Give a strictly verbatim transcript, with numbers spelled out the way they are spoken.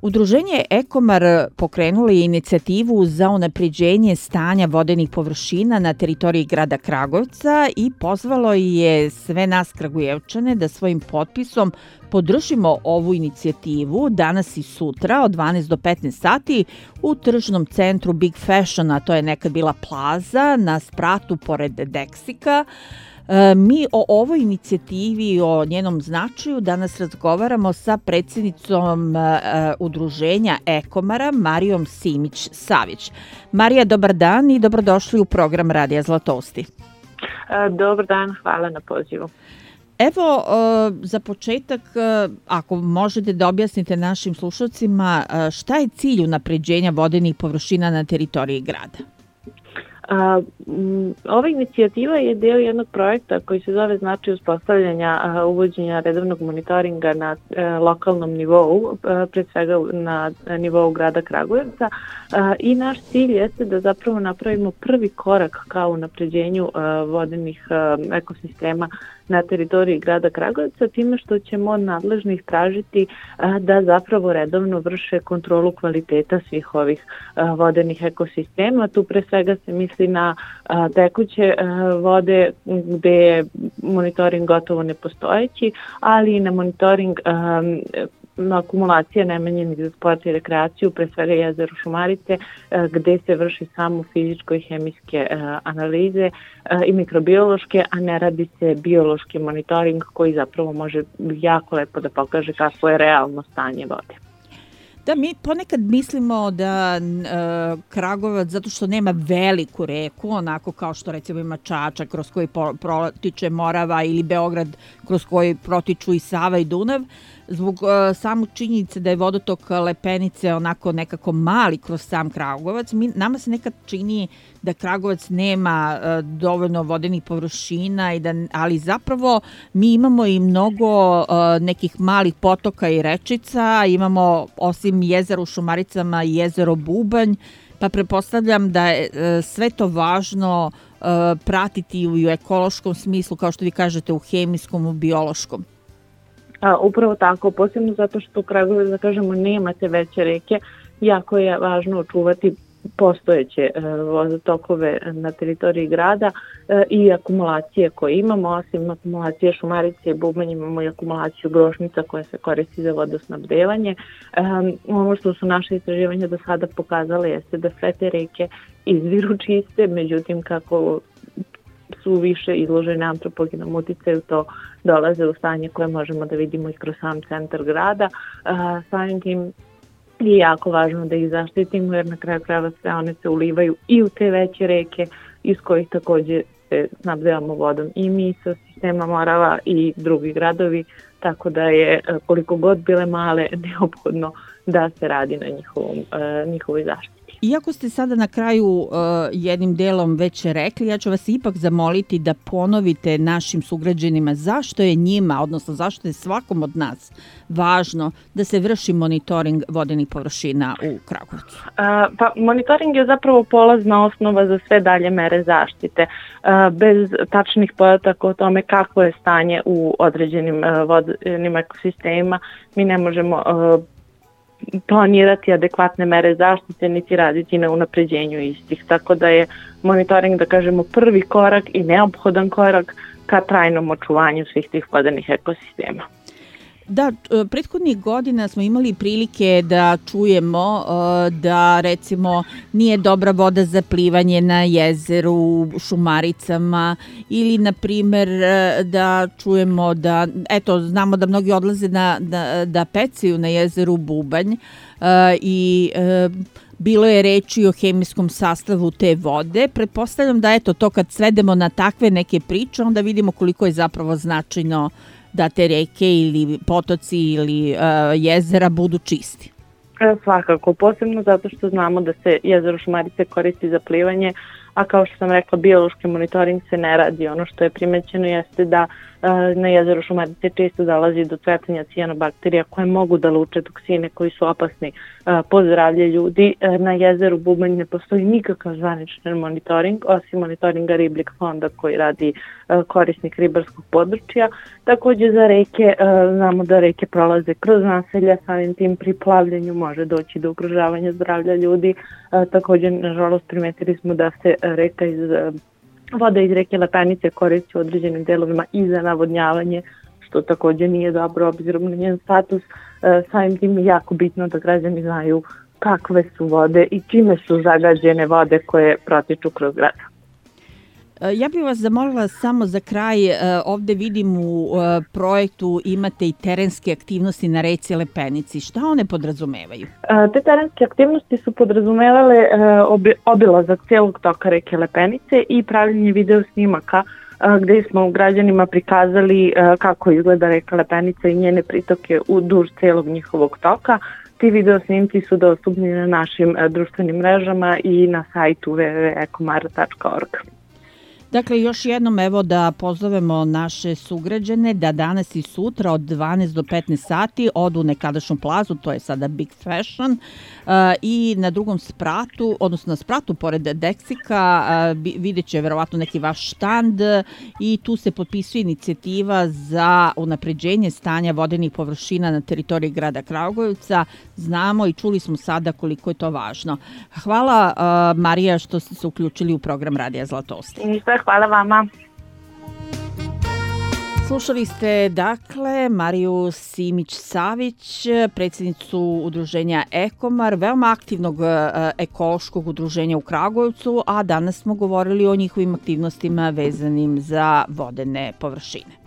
Udruženje Ekomar pokrenulo je inicijativu za unapređenje stanja vodenih površina na teritoriji grada Kragujevca i pozvalo je sve nas Kragujevčane da svojim potpisom podržimo ovu inicijativu danas i sutra od dvanaest do petnaest sati u tržnom centru Big Fashion, a to je nekad bila plaza na spratu pored Deksika. Mi o ovoj inicijativi i o njenom značaju danas razgovaramo sa predsjednicom udruženja Ekomara, Marijom Simić-Savić. Marija, dobar dan i dobrodošli u program Radija Zlatosti. Dobar dan, hvala na pozivu. Evo, za početak, ako možete da objasnite našim slušalcima, šta je cilj unapređenja vodenih površina na teritoriji grada? A, m, ova inicijativa je deo jednog projekta koji se zove znači uspostavljanja a, uvođenja redovnog monitoringa na a, lokalnom nivou, a, pred svega na nivou grada Kragujevca a, i naš cilj jeste da zapravo napravimo prvi korak ka unapređenju a, vodenih a, ekosistema na teritoriji grada Kragujevca, time što ćemo od nadležnih tražiti a, da zapravo redovno vrše kontrolu kvaliteta svih ovih a, vodenih ekosistema. Tu pre svega se misli na a, tekuće a, vode gde je monitoring gotovo nepostojeći, ali i na monitoring a, na akumulacije namenjenih za sport i rekreaciju, pre svega jezero Šumarice, gde se vrši samo fizičko i hemijske analize i mikrobiološke, a ne radi se biološki monitoring koji zapravo može jako lepo da pokaže kakvo je realno stanje vode. Da, mi ponekad mislimo da e, Kragujevac, zato što nema veliku reku, onako kao što recimo ima Čačak kroz koji protiče Morava ili Beograd kroz koji protiču i Sava i Dunav, zbog e, samu činjenice da je vodotok Lepenice onako nekako mali kroz sam Kragujevac, mi, nama se nekad čini da Kragujevac nema e, dovoljno vodenih površina, i da, ali zapravo mi imamo i mnogo e, nekih malih potoka i rečica, imamo osim jezera u Šumaricama i jezero Bubanj, pa pretpostavljam da je e, sve to važno e, pratiti u ekološkom smislu, kao što vi kažete, u hemijskom, u biološkom. A, upravo tako, posebno zato što u Kragujevcu, da kažemo, nema te veće reke, jako je važno očuvati postojeće e, vodotokove na teritoriji grada e, i akumulacije koje imamo. Osim akumulacije Šumarice i Bubanj imamo i akumulaciju Grošnica koja se koristi za vodosnabdevanje. E, ono što su naše istraživanja do sada pokazale jeste da sve te reke izviru čiste, međutim kako su više izložene antropogenom uticaju, to dolaze u stanje koje možemo da vidimo i kroz sam centar grada. E, samim tim je jako važno da ih zaštitimo, jer na kraju krajeva sve one se ulivaju i u te veće reke iz kojih takođe se snabdevamo vodom i mi sa sistema Morava i drugi gradovi, tako da je koliko god bile male neophodno da se radi na njihovom, njihovoj zaštiti. Iako ste sada na kraju uh, jednim delom već rekli, ja ću vas ipak zamoliti da ponovite našim sugrađanima zašto je njima, odnosno zašto je svakom od nas važno da se vrši monitoring vodenih površina u Kragujevcu. Uh, pa monitoring je zapravo polazna osnova za sve dalje mere zaštite. Uh, bez tačnih podataka o tome kakvo je stanje u određenim uh, vodenim ekosistemima, mi ne možemo uh, planirati adekvatne mere zaštite niti raditi na unapređenju istih. Tako da je monitoring, da kažemo, prvi korak i neophodan korak ka trajnom očuvanju svih tih vodenih ekosistema. Da, prethodnih godina smo imali prilike da čujemo da recimo nije dobra voda za plivanje na jezeru u Šumaricama ili na primjer da čujemo da, eto, znamo da mnogi odlaze na, da, da pecaju na jezeru Bubanj i bilo je reči o hemijskom sastavu te vode. Pretpostavljam da eto to kad svedemo na takve neke priče, onda vidimo koliko je zapravo značajno da te reke ili potoci ili uh, jezera budu čisti. E, svakako, posebno zato što znamo da se jezero Šumarice koristi za plivanje, a kao što sam rekla, biološki monitoring se ne radi. Ono što je primećeno jeste da Na jezeru Šumarice često dolazi do cvetanja cijanobakterija koje mogu da luče toksine koji su opasni po zdravlje ljudi. Na jezeru Bubanj ne postoji nikakav zvaničan monitoring, osim monitoringa ribljeg fonda koji radi korisnik ribarskog područja. Takođe za reke, znamo da reke prolaze kroz naselja, samim tim pri plavljenju može doći do ugrožavanja zdravlja ljudi. Takođe, nažalost, primetili smo da se reka iz voda iz reke Lepenice koristi u određenim delovima i za navodnjavanje, što takođe nije dobro obzirom na njen status. Samim tim je jako bitno da građani znaju kakve su vode i čime su zagađene vode koje protiču kroz grad. Ja bih vas zamolila samo za kraj, ovde vidim u projektu imate i terenske aktivnosti na reci Lepenici. Šta one podrazumevaju? Te terenske aktivnosti su podrazumevale obilazak celog toka reke Lepenice i pravljenje video snimaka gde smo građanima prikazali kako izgleda reka Lepenica i njene pritoke u duž celog njihovog toka. Ti video snimci su dostupni na našim društvenim mrežama i na sajtu w w w tačka ekomar tačka org. Dakle, još jednom evo da pozovemo naše sugrađane da danas i sutra od dvanaest do petnaest sati odu u nekadašnju plazu, to je sada Big Fashion, i na drugom spratu, odnosno na spratu pored Deksika, vidjet će verovatno neki vaš štand i tu se potpisuje inicijativa za unapređenje stanja vodenih površina na teritoriji grada Kragujevca. Znamo i čuli smo sada koliko je to važno. Hvala Marija što ste se uključili u program Radija Zlatosti. Ništa, hvala vama. Slušali ste, dakle, Mariju Simić-Savić, predsjednicu udruženja Ekomar, veoma aktivnog ekološkog udruženja u Kragujevcu, a danas smo govorili o njihovim aktivnostima vezanim za vodene površine.